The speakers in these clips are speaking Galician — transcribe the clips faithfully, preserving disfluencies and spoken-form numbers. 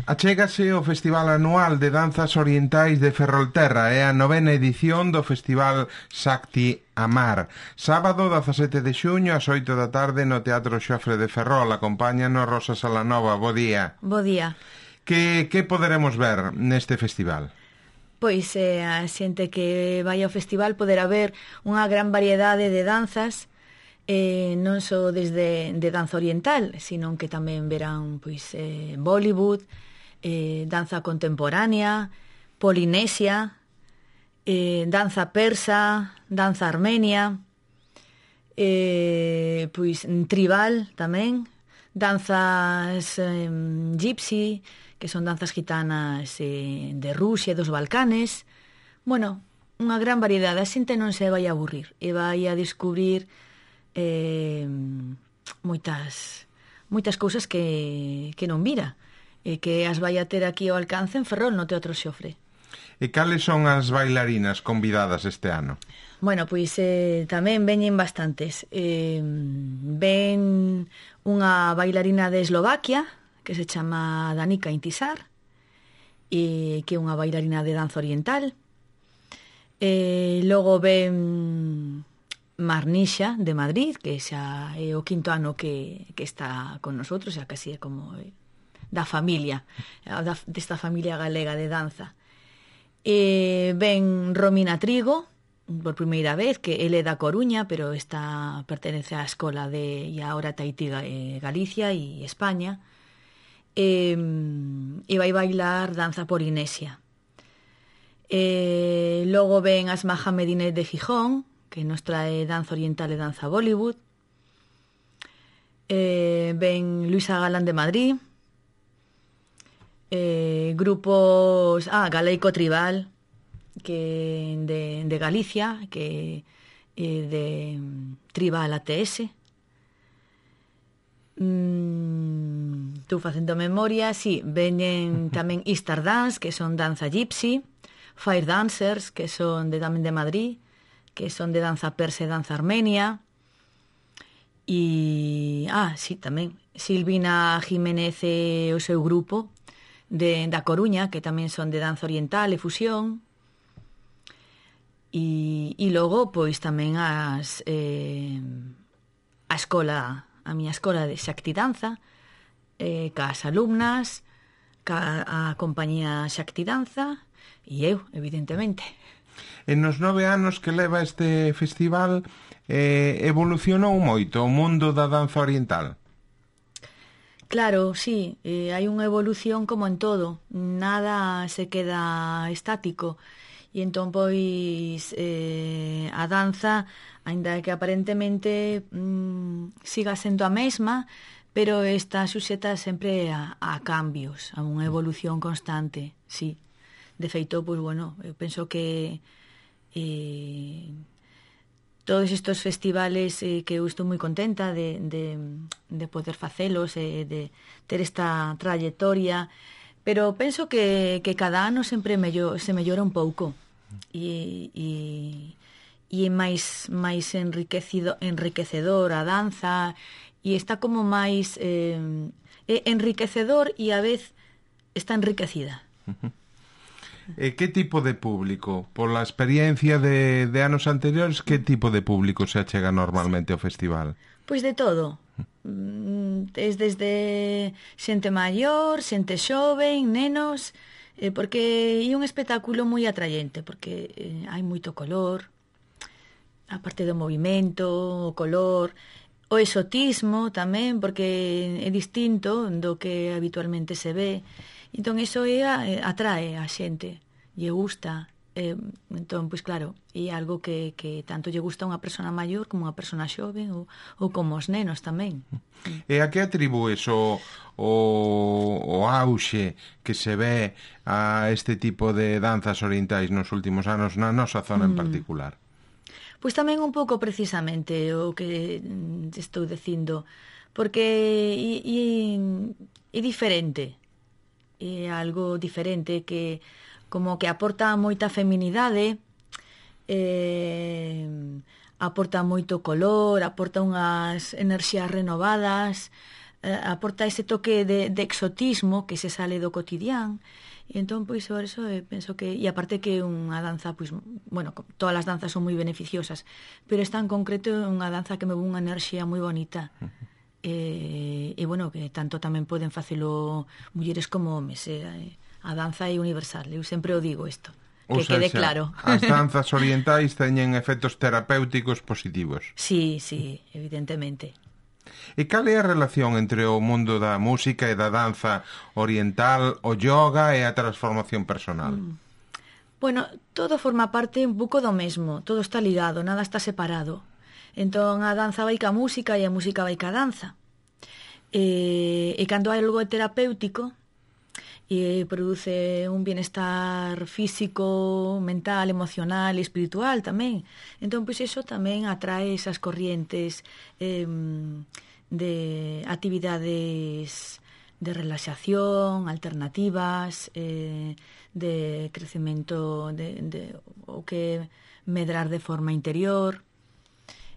Achégase o Festival Anual de Danzas Orientais de Ferrolterra, é a novena edición do Festival Shakti Amar. Sábado dezasete de xuño ás oito da tarde no Teatro Xofre de Ferrol. Acompáñanos Rosa Salanova. Bo día. Bo día. Que, que poderemos ver neste festival? Pois eh, a xente que vai ao festival poderá ver unha gran variedade de danzas, eh, non só desde de danza oriental, sino que tamén verán pois eh, Bollywood, eh, danza contemporánea, polinesia, eh, danza persa, danza armenia, eh, pois tribal tamén, danzas eh, gypsy, que son danzas gitanas eh, de Rusia e dos Balcanes. Bueno, unha gran variedade. A xente non se vai a aburrir e vai a descubrir eh, moitas moitas cousas que, que non vira e que as vai a ter aquí ao alcance en Ferrol, no Teatro Xofre. E cales son as bailarinas convidadas este ano? Bueno, pois eh, tamén veñen bastantes. Eh, ven unha bailarina de Eslovaquia que se chama Danica Intisar, e que é unha bailarina de danza oriental. E logo ven Marnisha de Madrid, que xa é o quinto ano que, que está con nosotros, xa casi é como da familia, da, desta familia galega de danza. E ven Romina Trigo, por primeira vez, que ele é da Coruña, pero está pertenece á escola de, e agora Tahití, eh, Galicia e España, e, e vai bailar danza polinesia. E logo ven Asma Hamedineh de Gijón, que nos trae danza oriental e danza Bollywood. E ven Luisa Galán de Madrid. Eh, grupos ah, Galeico Tribal, que de, de Galicia, que eh, de Tribal A T S. mm, Estou facendo memoria. Sí, veñen tamén Easter Dance, que son danza gypsy, Fire Dancers, que son de, tamén de Madrid, que son de danza persa e danza armenia. E ah, sí, tamén Silvina Jiménez e o seu grupo de, da Coruña, que tamén son de danza oriental e fusión. E, e logo, pois, tamén as eh, a escola, a miña escola de Shakti Danza, eh, cas alumnas, ca a compañía Shakti Danza, e eu, evidentemente. En nos nove anos que leva este festival, eh, evolucionou moito o mundo da danza oriental? Claro, sí, eh, hai unha evolución como en todo, nada se queda estático, e entón, pois, eh, a danza, aínda que aparentemente mm, siga sendo a mesma, pero está suxeta sempre a, a cambios, a unha evolución constante, sí. De feito, pois, bueno, eu penso que eh, todos estes festivales eh, que eu estou moi contenta de, de, de poder facelos, eh, de ter esta trayectoria, pero penso que, que cada ano sempre mellor, se mellora un pouco e, e, e é máis, máis enriquecido, enriquecedor a danza, e está como máis eh, é enriquecedor e a vez está enriquecida. Uh-huh. E que tipo de público? Pola experiencia de, de anos anteriores, que tipo de público se achega normalmente ao festival? Pois de todo. Es desde xente maior, xente xoven, nenos, eh, porque é un espectáculo moi atraente, porque eh, hai moito color, a parte do movimento, o color, o exotismo tamén, porque é distinto do que habitualmente se ve. Entón, iso é, atrae a xente, lle gusta. Eh, entón, pois claro, é algo que, que tanto lle gusta a unha persona maior como a unha persona xoven ou, ou como os nenos tamén. E a que atribúes o, o, o auxe que se ve a este tipo de danzas orientais nos últimos anos na nosa zona en particular? Pois tamén un pouco precisamente o que estou dicindo, porque é, é, é diferente. É algo diferente que como que aporta moita feminidade, eh, aporta moito color, aporta unhas enerxías renovadas, eh, aporta ese toque de, de exotismo que se sale do cotidián. E entón, pois, por eso eh, penso que... E aparte que unha danza, pois, bueno, todas as danzas son moi beneficiosas, pero esta en concreto é unha danza que me vou unha enerxía moi bonita. E, e, bueno, que tanto tamén poden facelo mulleres como homes. Eh, a danza é universal, eu sempre o digo isto. Que Ou quede claro. As danzas orientais teñen efectos terapéuticos positivos. Sí, sí, evidentemente. E cal é a relación entre o mundo da música e da danza oriental, o yoga e a transformación personal? Mm. Bueno, todo forma parte un pouco do mesmo, todo está ligado, nada está separado. Entón a danza vai ca música e a música vai ca danza. E, e cando hai algo terapéutico e produce un bienestar físico, mental, emocional e espiritual tamén. Entón, pois, iso tamén atrae esas corrientes eh, de actividades de relaxación, alternativas, eh, de crecemento, de, de, o que medrar de forma interior,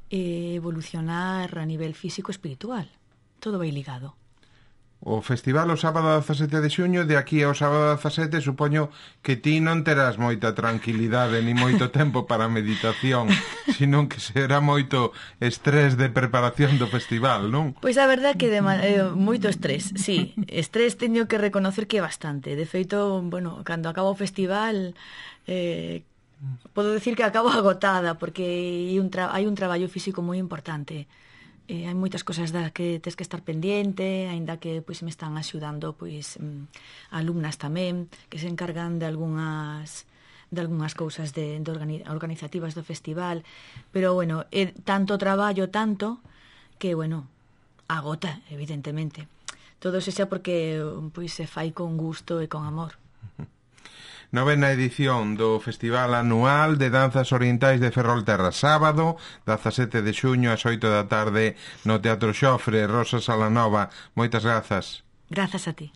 e evolucionar a nivel físico-espiritual. Todo vai ligado. O festival o sábado dezasete de xuño, de aquí ao sábado dezasete, supoño que ti non terás moita tranquilidade ni moito tempo para a meditación, sino que será moito estrés de preparación do festival, non? Pois a verdade é que de, eh, moito estrés, sí. Estrés teño que reconocer que é bastante. De feito, bueno, cando acaba o festival... Eh, podo decir que acabo agotada, porque hai un, tra- hai un traballo físico moi importante. Eh, hai moitas cosas das que tes que estar pendiente, aínda que pois me están axudando pois mm, alumnas tamén que se encargan de algunhas de algunhas cousas de, de organi- organizativas do festival, pero bueno, é tanto traballo, tanto que bueno, agota, evidentemente. Todo se xa porque pois se fai con gusto e con amor. Novena edición do Festival Anual de Danzas Orientais de Ferrolterra, sábado, dezasete de xuño, ás oito da tarde, no Teatro Xofre. Rosa Salanova, moitas grazas. Grazas a ti.